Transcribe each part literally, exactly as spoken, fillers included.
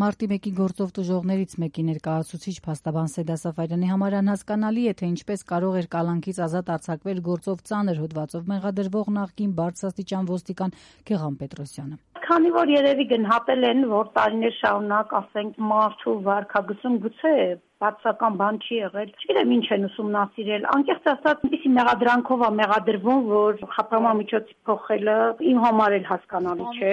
Մարտի մեկի գործով տուժողներից մեկի ներկայացուցիչ փաստաբան Սեդա Սաֆարյանի համար անհասկանալի է, թե ինչպես կարող էր կալանքից ազատ արձակվել գործով ծանր հոդվածով մեղադրվող նախկին բարձրաստիճան ոստիկան Գեղամ Պետրոսյանը։ Քանի որ երևի գնահատել են, որ տարիներ շարունակ, ասենք, մարդու վարքագծում գուցե բացական բան չի եղել։ Չգիտեմ ինչ են ուսումնասիրել։ Անկեղծ ասած, այնպիսի մեղադրանքով է մեղադրվում, որ խափանման միջոցի փոխելը իմ համար էլ հասկանալի չէ։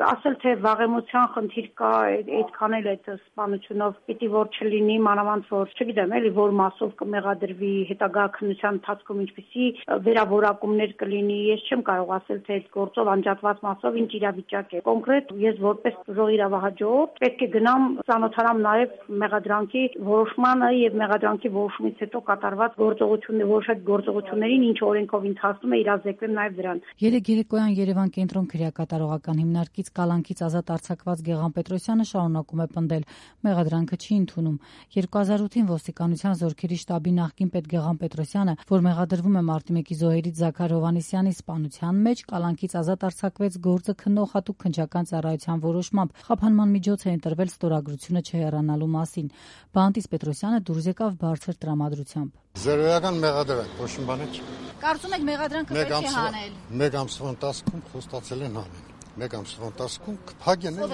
Ասել թե վաղեմության խնդիր կա, այդքան էլ այդ սպանությունով պիտի որ չլինի, մանավանդ որ, չգիտեմ, էլի որ մասով կմեղադրվի, հետագա քննության ընթացքում ինչպիսի վերավորակումներ կլինի, ես չեմ կարող ասել թե այդ գործով անջատված մասով ինչ իրավիճակ է։ Կոնկրետ ես որպես տուժող իրավահաջորդ պետք է գնամ ծանոթանամ նաև մեղադրանքի որոշմանը եւ մեղադրանքի որոշումից հետո կատարված գործողությունները, որոշած գործողություններին, ինչ օրենքով ընթացնում է, իրազեկվեմ նաև դրան։ Երեկ երեկոյան Երևան կենտրոն քրեակատարողական հիմնարկից կալանքից ազատ արձակված Գեղամ Պետրոսյանը շարունակում է պնդել, մեղադրանքը չի ընդունում։ երկու հազար ութին ոստիկանության զորքերի շտաբի նախկին պետ Գեղամ Պետրոսյանը, որ մեղադրվում է Մարտի մեկի զոհերից Զաքար Հովհաննիսյանի սպանության մեջ, կալանքից ազատ արձակվեց գործը քննող հատուկ քննչական ծառայության որոշմամբ։ Խափանման միջոց է ընտրվել ստորագրությունը չհեռանալու մասին։ Բանտիս Պետրոսյանը դուրս եկավ բարձր տրամադրությամբ։ Զերոյական մեղադրանք, ոչ մի բան չի։ Կարծում եք մեղադրանքը պետք է հանել։ Մեկ ամսվա ընթացքում խոստացել են հանել։ Մեկ ամսվա ընթացքում կփակեն են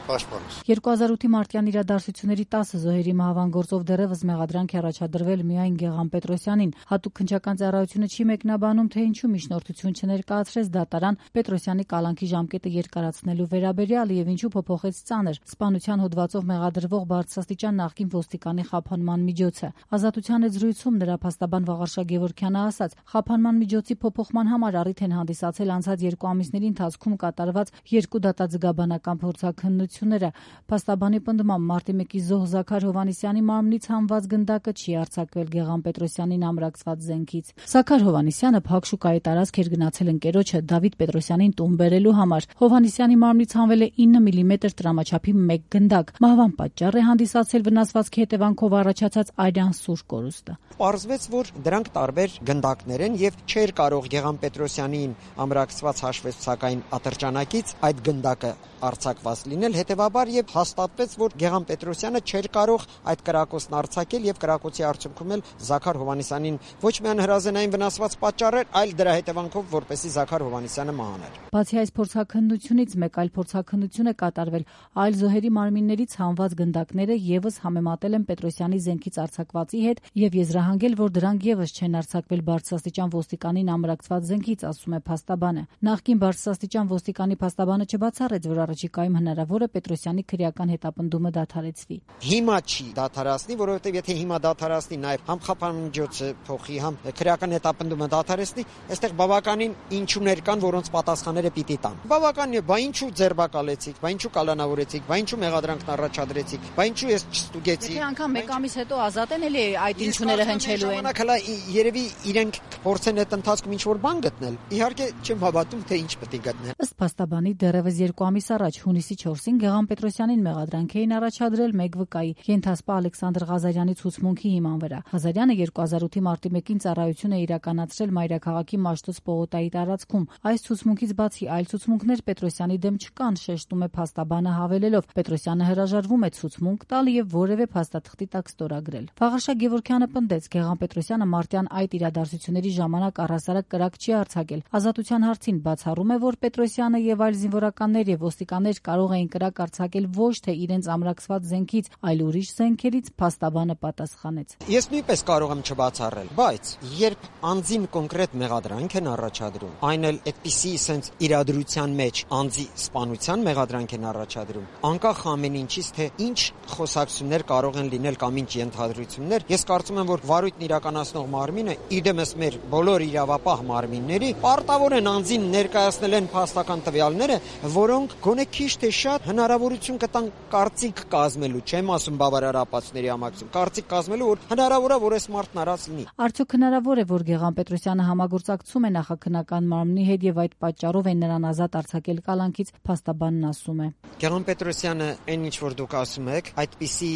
պաշտպանս։ երկու հազար ութի մարտյան իրադարձությունների տասը զոհերի մահվան գործով դեռևս մեղադրանք է առաջադրվել միայն Գեղամ Պետրոսյանին։ Հատուկ քննչական ծառայությունը չի մեկնաբանում, թե ինչու միջնորդություն չներկայացրեց դատարան Պետրոսյանի կալանքի ժամկետը երկարացնելու վերաբերյալ եւ ինչու փոփոխեց ծանր սպանության հոդվածով մեղադրվող բարձրաստիճան նախկին ոստիկանի խափանման միջոցը։ Ազատության հետ զրույցում նրա փաստաբան Վաղարշակ Գևորգյանը ասաց, խափանման միջոցի փոփոխման համար առիթ են հանդիսացել անցած երկու ամիսների ընթացքում կատարված երկու դատաձգաբանական փորձաքննությունները։ Փաստաբանի պնդմամբ Մարտի մեկի զոհ Զաքար Հովհաննիսյանի մարմնից հանված գնդակը չի արձակվել Գեղամ Պետրոսյանին ամրացված զենքից։ Զաքար Հովհաննիսյանը փակ շուկայի տարածք էր գնացել ընկերոջը Դավիթ Պետրոսյանին տուն բերելու համար։ Հովհաննիսյանի մարմնից հանվել է ինը միլիմետր տրամաչափի մեկ գնդակ։ Մահվան պատճառ է հանդիսացել վնասվածքի հետևանքով առաջացած արյան սուր կորուստը։ Պարզվեց, որ դրանք տարբեր գնդակներ են եւ չէր կարող Գեղամ Պետրոսյանին ամրացված հաշվետվության ատրճանակից այդ գնդակը արձակված լինել, հետևաբար եւ հաստատվեց, որ Գեղամ Պետրոսյանը չէր կարող այդ կրակոցն արձակել եւ կրակոցի արդյունքում էլ Զաքար Հովհաննիսյանին ոչ միայն հրազենային վնասված պատճառել, այլ դրա հետևանքով որպեսի Զաքար Հովհաննիսյանը մահաներ։ Բացի այս փորձաքննությունից մեկ այլ փորձաքննություն է կատարվել այլ զոհերի մարմիններից հանված գնդակները եւս համեմատել են Պետրոսյանի զենքից արձակվածի հետ եւ եզրահանգել, որ դրանք եւս չեն արձակվել բարձրաստիճան ոստիկանին ամրացված զենքից, ասում է փաստաբանը։ Նախկին բարձրաստիճան ոստիկանի փաստաբանը չբացառեց, որ առաջիկայում հնարավոր է Պետրոսյանի քրեական հետապնդումը դադարեցվի։ Հիմա չի դադարացնի, որովհետև եթե հիմա դադարացնի, նաև համ խափանման միջոցը փոխի, համ քրեական հետապնդումը դադարեցնի, այստեղ բավականին ինչուներ կան, որոնց պատասխանները պիտի տան։ Բավականին է, բա ինչու ձերբակալեցիք, բա ինչու կալանավորեցիք, բա ինչու մեղադրանքն առաջադրեցիք, բա ինչու ես չստուգեցի։ Եթե անգամ մեկ ամիս հետո ազատ են, էլի այդ ինչուները հնչելու են։ Ժամանակ հələ երևի իրենք փորձեն այդ ընթացքում ինչ-որ բան գտնել։ Իհարկե չեմ հավատում, թե ինչ պետք է գտնեն։ Ըստ փաստաբանի դեռևս երկու ամիս առաջ հունիսի չորսին Գեղամ Պետրոսյանին մեղադրանք էին առաջադրել մեկ վկայի ենթասպա Ալեքսանդր Ղազարյանի ցուցմունքի հիման վրա։ Ղազարյանը երկու հազար ութի մարտի մեկին ծառայություն է իրականացրել Մայրաքաղաքի Մաշտոց պողոտայի տարածքում։ Այս ցուցմունքից բացի այլ ցուցմունքներ Պետրոսյանի դեմ չկան, շեշտում է փաստաբանը հավելելով. Պետրոսյանը հրաժարվում է ցուցմունք տալ եւ որևէ փաստաթղթի տակ ստորագրել։ Վաղարշակ Գևորգյանը պնդեց, Գեղամ Պետրոսյանը մարտյան այդ իրադարձությունների ժամանակ առհասարակ կրակ չի արձակել։ Ազատության հարցին բացառում է, որ Պետրոսյանը եւ այլ զինվորականներ եւ ոստիկաններ կարող էին կրակ արձակել ոչ թե իրենց ամրացված զենքից, այլ ուրիշ զենքերից, փաստաբանը պատասխանեց։ Ես նույնպես կարող եմ չբացառել, բայց երբ անձին կոնկրետ մեղադրանք են առաջադրում, այն էլ այդպիսի sense իրադրության մեջ անձի սպանության մեղադրանք են առաջադրում, անկախ ամեն ինչից, թե ինչ խոսակցություններ կարող են լինել կամ ինչ ենթադրություններ, ես կարծում եմ, որ վարույթն իրականացնող մարմինը իդեմս մեր բոլոր իրավապահ մարմինների պարտավոր են անձին ներկայացնել են փաստական տվյալները, որոնք գոնե քիչ թե շատ հնարավորություն կտան կարծիք կազմելու, չեմ ասում բավարար ապացույցների համակցում, կարծիք կազմելու, որ հնարավոր է, որ այս մարդն արած լինի։ Արդյոք հնարավոր է, որ Գեղամ Պետրոսյանը համագործակցում է նախաքննական մարմնի հետ եւ այդ պատճառով են նրան ազատ արձակել կալանքից, փաստաբանն ասում է։ Գեղամ Պետրոսյանը այն ինչ որ դուք ասում եք, այդպիսի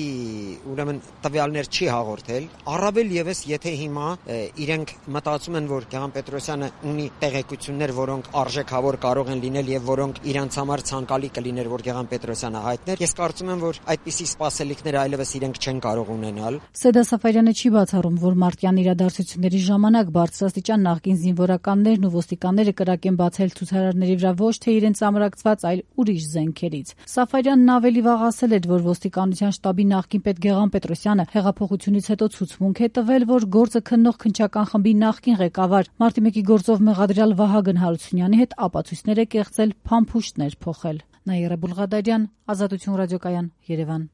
ուրեմն տվյալներ չի հաղորդել, առավել եւս եթե հիմա իրենք մտածում են, որ Գեղամ Պետրոսյանը ունի տեղեկություններ, որոնք արժեքավոր կարող կարող են լինել եւ որոնք իրանց համար ցանկալի կլիներ, որ Գեղամ Պետրոսյանը հայտներ։ Ես կարծում եմ, որ այդպիսի սպասելիքներ այլևս իրենք չեն կարող ունենալ։ Սեդա Սաֆարյանը չի բացառում, որ մարտյան իրադարձությունների ժամանակ բարձրաստիճան նախկին զինվորականներն ու ոստիկանները կրակ են բացել ցուցարարների վրա ոչ թե իրենց ամրակցված, այլ ուրիշ զենքերից։ Սաֆարյանն ավելի վաղ ասել էր, որ ոստիկանության շտաբի նախկին պետ Գեղամ Պետրոսյանը հեղափոխությունից հետո ցուցմունք է տվել, որ գործը քննող քննչական խմբի նախկին ղեկավար մարտի մեկի գործով մեղադրյալ Վահագն Հարությունյանի հետ ապացույցներ է կեղծել, փամփուշտներ փոխել։ Նաիրա Բուլղադարյան, Ազատություն ռադիոկայան, Երևան։